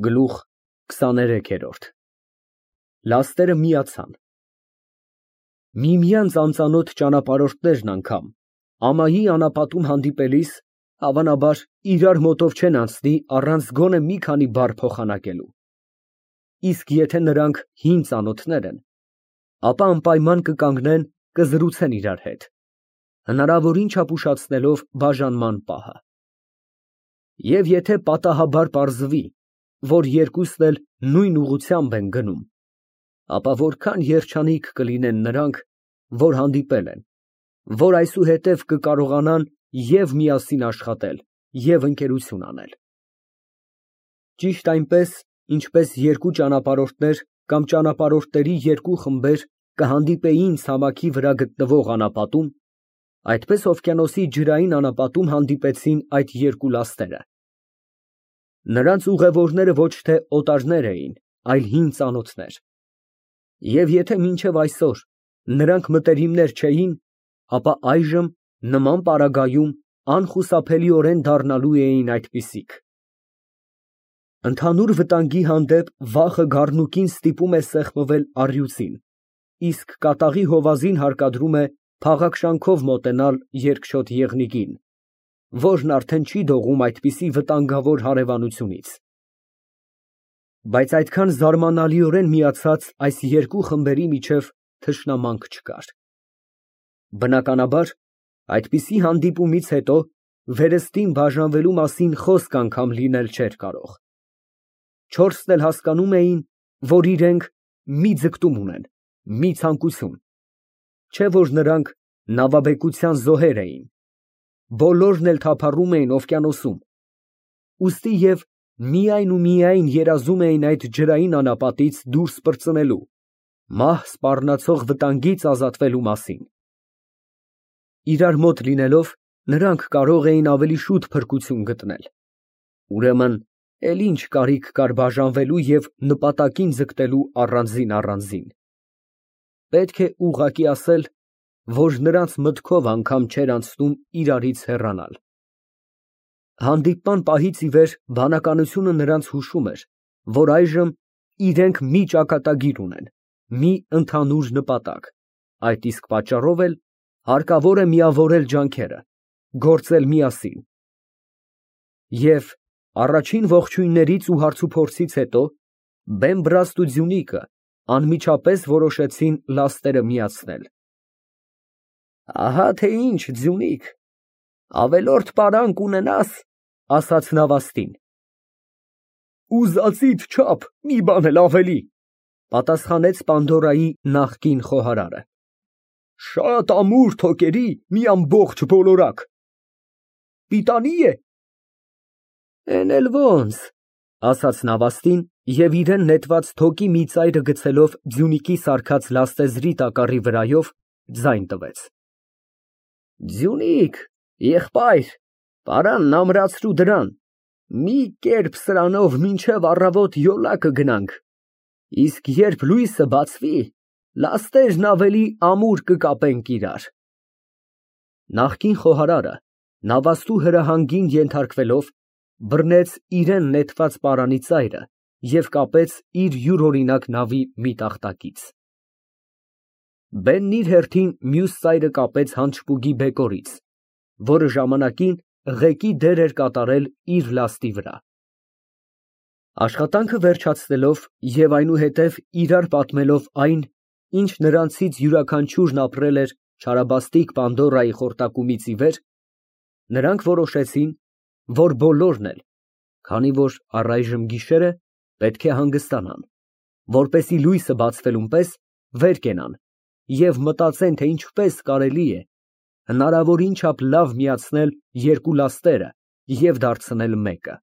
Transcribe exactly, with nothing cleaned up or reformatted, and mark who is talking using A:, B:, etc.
A: Գլուխ քսաներեքերորդ Լաստերը միացան։ Միմյանց անծանոթ ճանապարհորդներն անգամ ամայի անապատում հանդիպելիս, հավանաբար, իրար մոտով չեն անցնի առանց գոնե մի քանի բառ փոխանակելու։ Իսկ եթե նրանք հին ծանոթներ են, ապա անպայման կկանգնեն, կզրուցեն իրար հետ, հնարավորին չափ ուշացնելով բաժանման պահը։ Եվ եթե պատահաբար պարզվի, որ երկուսն էլ նույն ուղղությամբ են գնում, ապա որքան երջանիկ կլինեն նրանք, որ հանդիպել են, որ այսուհետև կկարողանան և միասին աշխատել, և ընկերություն անել։ Ճիշտ այնպես, ինչպես երկու ճանապարհորդներ կամ ճանապարհորդների երկու խմբեր կհանդիպեին ցամաքի վրա գտնվող անապատում, այդպես օվկիանոսի ջրային անապատում հանդիպեցին այդ երկու լաստերը։ Նրանց ուղևորները ոչ թե օտարներ էին, այլ հին ծանոթներ։ Եվ եթե մինչև այսօր նրանք մտերիմներ չէին, ապա այժմ նման պարագայում անխուսափելիորեն դառնալու էին այդպիսիք։ Ընդհանուր վտանգի հանդեպ վախը գառնուկին ստիպում է սեղմվել առյուծին, իսկ կատաղի հովազին հարկադրում է փաղաքշանքով մոտենալ երկչոտ եղնիկին, որն արդեն չի դողում այդպիսի վտանգավոր հարևանությունից։ Բայց այդքան զարմանալիորեն միացած այս երկու խմբերի միջև թշնամանք չկար։ Բնականաբար, այդպիսի հանդիպումից հետո վերստին բաժանվելու մասին խոսք անգամ լինել չէր կարող։ Չորսն էլ հասկանում էին, որ իրենք մի ձգտում ունեն, մի ցանկություն, չէ՞ որ նրանք նավաբեկության զոհեր էին, բոլորն էլ թափառում էին օվկիանոսում, ուստի և միայն ու միայն երազում էին այդ ջրային անապատից դուրս պրծնելու, մահ սպառնացող վտանգից ազատվելու մասին։ Իրար մոտ լինելով, նրանք կարող էին ավելի շուտ փրկություն գտնել։ Ուրեմն, էլ ինչ կարիք կար բաժանվելու և նպատակին ձգտելու առանձին֊առանձին։ Պետք է ուղղակի ասել, որ նրանց մտքով անգամ չէր անցնում իրարից հեռանալ։ Հանդիպման պահից ի վեր բանականությունը նրանց հուշում էր, որ այժմ իրենք մի ճակատագիր ունեն, մի ընդհանուր նպատակ, այդ իսկ պատճառով էլ հարկավոր է միավորել ջանքերը, գործել միասին։ Եվ առաջին ողջույններից ու հարցուփորձից հետո Բեմբրաստ ու Ձյունիկը անմիջապես որոշեցին լաստերը միացնել։ Ահա թե ինչ, Ձյունիկ, ավելորդ պարանք ունենաս, ասաց նավաստին։ Ուզածիդ չափ, մի բան էլ ավելի, պատասխանեց Պանդորայի նախկին խոհարարը։ Շատ ամուր թոկերի մի ամբողջ բոլորակ։ Պիտանի է։ Էն էլ ոնց, ասաց նավաստին և իրեն նետված թոկի մի ծայրը գցելով Ձյունիկի սարքած լաստեզրի տակառի վրայով, ձայն տվեց։ Ձյունիկ, եղբայր, պարանն ամրացրու դրան, մի կերպ սրանով մինչև առավոտ յոլա կգնանք, իսկ երբ լույսը բացվի, լաստերն ավելի ամուր կկապենք իրար։ Նախկին խոհարարը, նավաստու հրահանգին ենթարկվելով, բռնեց իրեն նետված պարանի ծայրը և կապեց իր յուրօրինակ նավի մի տախտակից։ Բենն իր հերթին մյուս ծայրը կապեց հանճպուգի բեկորից, որը ժամանակին ղեկի դեր էր կատարել իր լաստի վրա։ Աշխատանքը վերջացնելով և այնուհետև իրար պատմելով այն, ինչ նրանցից յուրաքանչյուրն ապրել էր չարաբաստիկ Պանդորայի խորտակումից ի վեր, նրանք որոշեցին, որ բոլորն էլ, քանի որ առայժմ գիշեր է, պետք է հանգստանան, որպեսզի լույսը բացվելուն պես վեր կենան և մտածեն, թե ինչպես կարելի է հնարավորին չափ լավ միացնել երկու լաստերը և դարձնել մեկը։